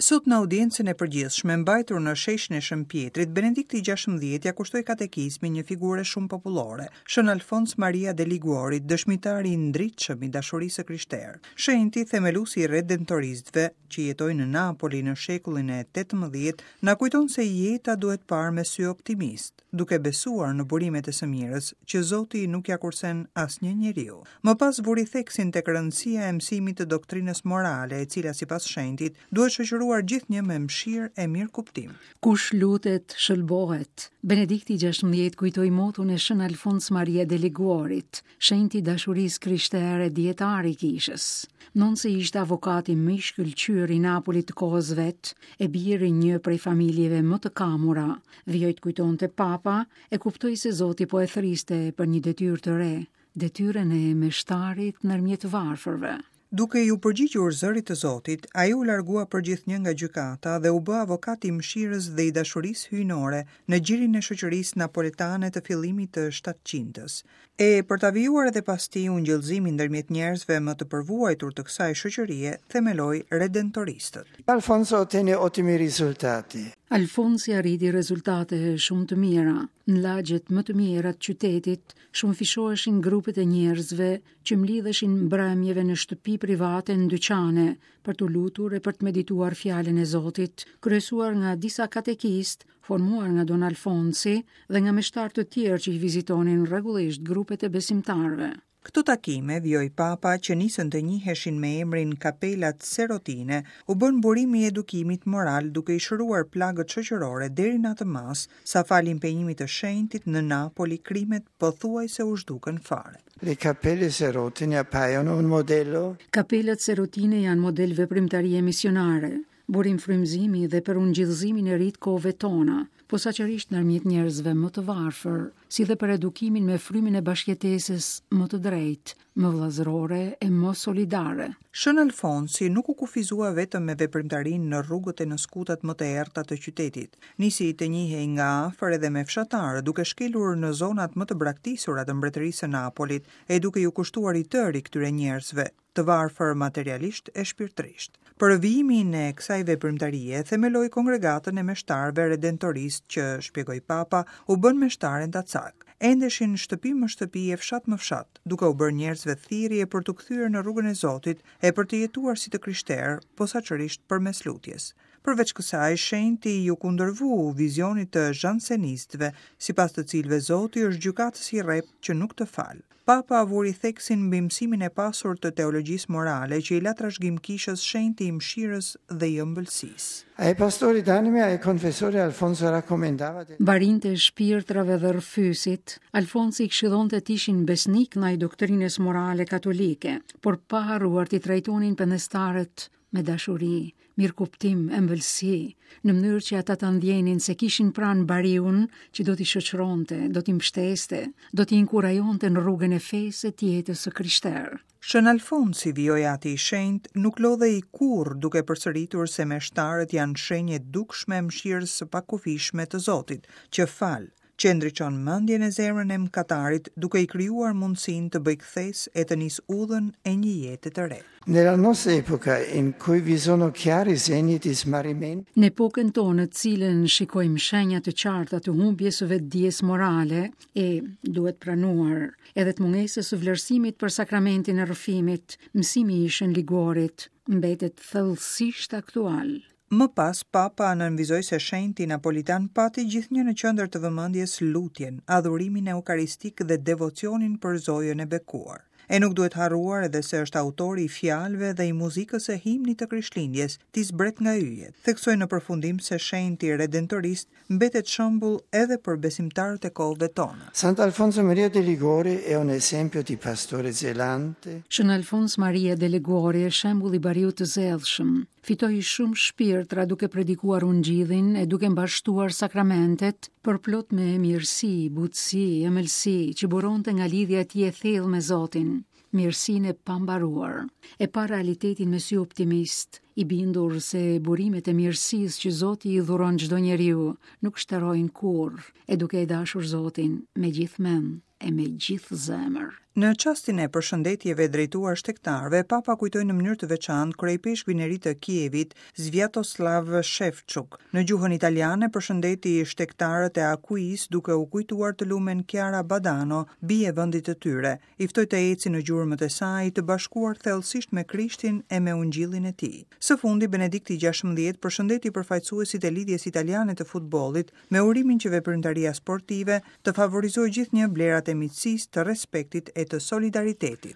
Sot në audiencën e përgjithshme mbajtur në sheshin e Shën Pjetrit, Benedikti XVI ia kushtoi katekizmin një figure shumë popullore, Shën Alfons Maria de Liguorit, dëshmitari i ndritshëm i dashurisë së krishterë. Shenjti, themeluesi i redentoristëve, që jetoi në Napoli në shekullin e 18, na kujton se jeta duhet parë me sy optimist, duke besuar në burimet e së mirës, që Zoti nuk ia kursen asnjë njeriu. Më pas vuri theksin tek rëndësia e mësimit të doktrinës morale, e cila sipas shenjtit, duhet shoqëruar gjithnjë me mëshirë e mirëkuptim. Kush lutet, shëlbohet. Benedikti XVI kujtoi moton e Shën Alfons Maria de Liguorit, shenjt i dashurisë krishtere e dijetar i kishës. Ndonëse ishte avokati më i shkëlqyer i Napolit të kohës vet, e bir i një prej familjeve më të kamura, vijoi të kujtonte Papa, e kuptoi se Zoti po e thërriste për një detyrë të re, detyrën e meshtarit ndërmjet të varfërve. Duke iu përgjigjur zërit të Zotit, ai u largua përgjithnjë nga gjykata dhe u bë avokat i mëshirës dhe i dashurisë hyjnore në gjirin e shoqërisë napoletane të fillimit të shtatëqindës. E, për ta vijuar edhe pas tij ungjillëzimin ndërmjet njerëzve më të përvuajtur të kësaj shoqërie, themeloi redentoristët. Alfonso ottenne ottimi risultati. Alfonsi arriti rezultate shumë të mira. Në lagjet më të mjera të qytetit, Shumëfishoheshin grupet e njerëzve që mblidheshin mbrëmjeve në shtëpi private në dyqane për t'u lutur e për të medituar fjalën e Zotit, kryesuar nga disa katekistë, formuar nga Don Alfonsi dhe nga meshtarë të tjerë që i vizitonin rregullisht grupet e besimtarëve. Këto takime, vijoi Papa, që nisën të njiheshin me emrin Kapelat Serotine, u bënë burim i edukimit moral duke i shëruar plagët shoqërore deri në atë masë sa falë impenjimit të shenjtit në Napoli krimet pothuajse u zhdukën fare. Le cappelle serotine appaiono un modello. Kapelat serotine janë model veprimtarie misionare, burim frymëzimi dhe për ungjillëzimin e ri të kohëve tona, posaçërisht ndërmjet njerëzve më të varfër, si dhe për edukimin me frymën e bashkëjetesës më të drejtë, më vëllazërore e më solidare. Shën Alfonsi nuk u kufizua vetëm me veprimtarinë në rrugët e në skutat më të errëta të qytetit. Nisi të njihej nga afër edhe me fshatarët, duke shkelur në zonat më të braktisura të Mbretërisë së Napolit e duke iu kushtuar i tëri këtyre njerëzve, të varfër materialisht e shpirtërisht. Për vijimin e kësaj veprimtarie, themeloi Kongregatën e Meshtarëve Redentoristë që, shpjegoi Papa, u bënë meshtarë endacakë. Endeshin shtëpi më shtëpi e fshat më fshat, duke u bërë njerëzve thirrje për t'u kthyer në rrugën e Zotit e për të jetuar si të krishterë, posaçërisht përmes lutjes. Përveç kësaj, shenjti iu kundërvu vizionit të zhansenistëve, sipas të cilëve Zoti është gjykatës i rreptë që nuk të fal. Papa vuri theksin mbi mësimin e pasur të teologjisë morale që i la trashëgim kishës shenjti i mëshirës dhe i ëmbëlsisë. Ai pastori d'anime ai confessori Alfonso raccomandava de. Barinjtë e shpirtrave dhe rrëfyesit, Alfonsi i këshillonte të ishin besnikë ndaj doktrinës morale katolike, por pa harruar t'i trajtonin pendestarët me dashuri, mirëkuptim, ëmbëlsi, në mënyrë që ata ta ndjenin se kishin pranë bariun që do t'i shoqëronte, do t'i mbështeste, do t'i inkurajonte në rrugën e fesë e të jetës së krishterë. Shën Alfonsi, vijoi Ati i Shenjtë, nuk lodhej kurrë duke përsëritur se meshtarët janë shenjë e dukshme e mëshirës së pakufishme të Zotit, që fal, që e ndriçon mendjen e zemrën e mëkatarit duke i krijuar mundësinë të bëjë kthesë e të nisë udhën e një jete të re. Nella nostra epoca in cui vi sono chiari segni di smarrimento. Në epokën tonë në të cilën shikojmë shenja të qarta të humbjes së vetëdijes morale e, duhet pranuar, edhe të mungesës së vlerësimit për sakramentin e rrëfimit, mësimi i Shën Liguorit mbetet thellësisht aktual. Më pas, Papa nënvizoi se shenjti napolitan pati gjithnjë në qendër të vëmendjes lutjen, adhurimin eukaristik dhe devocionin për Zojën e Bekuar. E nuk duhet harruar edhe se është autori i fjalëve dhe i muzikës së himnit të Krishtlindjes, Ti zbret nga yjet. Theksoi në përfundim se shenjti redentorist mbetet shembull edhe për besimtarët e kohëve tona. Sant'Alfonso Maria de Liguori è un esempio di pastore zelante. Shën Alfons Maria de Liguori është shembull i bariut të zellshëm. Fitoi shumë shpirtra duke predikuar ungjillin e duke mbarështuar sakramentet, përplot me mirësi, butësi, ëmbëlsi, që buronte nga lidhja e tij e thellë me Zotin. mirësinë e pambaruar. E pa realitetin me sy optimist, i bindur se burimet e mirësisë që Zoti i dhuron çdo njeriu nuk shterojnë kurrë, e duke e dashur Zotin me gjithë mend e me gjithë zemër. Në çastin e përshëndetjeve drejtuar shtegtarëve, Papa kujtoi në mënyrë të veçantë kryeipeshkvin e ri të Kievit, Sviatoslav Shevchuk. Në gjuhën italiane përshëndeti shtegtarët e Akuisë duke u kujtuar të lumen Chiara Badano, bijë e vendit të tyre. I ftoi të ecin në gjurmët e saj, të bashkuar thellësisht me Krishtin e me Ungjillin e tij. Së fundi, Benedikti 16 përshëndeti përfaqësuesit e Lidhjes Italiane të Futbollit me urimin që veprimtaria sportive të favorizojë gjithnjë vlerat e miqësisë, të respektit e të solidaritetit.